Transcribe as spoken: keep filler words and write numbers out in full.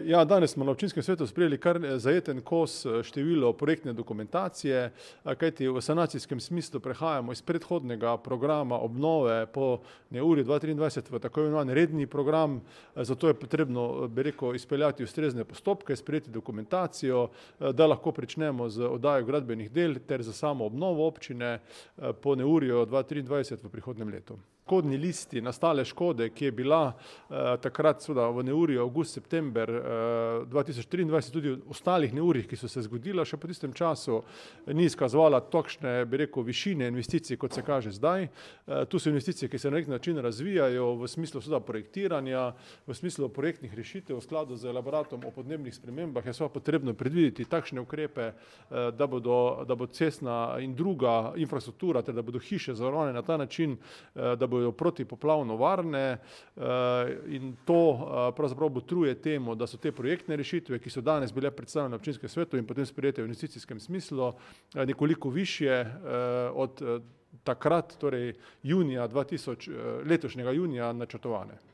Ja, danes smo na občinskem svetu sprejeli kar zajeten kos število projektne dokumentacije, kajti v sanacijskem smislu prehajamo iz predhodnega programa obnove po neurju dva triindvajset v tako imenovani redni program, zato je potrebno, bi rekel, izpeljati ustrezne postopke, sprejeti dokumentacijo, da lahko pričnemo z oddajo gradbenih del ter za samo obnovo občine po neurju dva triindvajset v prihodnjem letu. Škodni listi nastale škode, ki je bila eh, takrat seveda v neurju avgust-september eh, dva tisoč triindvajset, tudi v ostalih neurjih, ki so se zgodila še po tistem času, ni izkazovala takšne, bi rekel, višine investicij, kot se kaže zdaj. Eh, tu so investicije, ki se na nek način razvijajo v smislu seveda projektiranja, v smislu projektnih rešitev, v skladu z elaboratom o podnebnih spremembah je seveda potrebno predvideti takšne ukrepe, eh, da bodo, da bo cestna in druga infrastruktura, ter da bodo hiše zavarovane na ta način, eh, da bodo protipoplavno varne, in to pravzaprav botruje temu, da so te projektne rešitve, ki so danes bile predstavljene na občinskem svetu in potem sprejete v investicijskem smislu, nekoliko višje od takrat, torej junija dva tisoč, letošnjega junija načrtovane.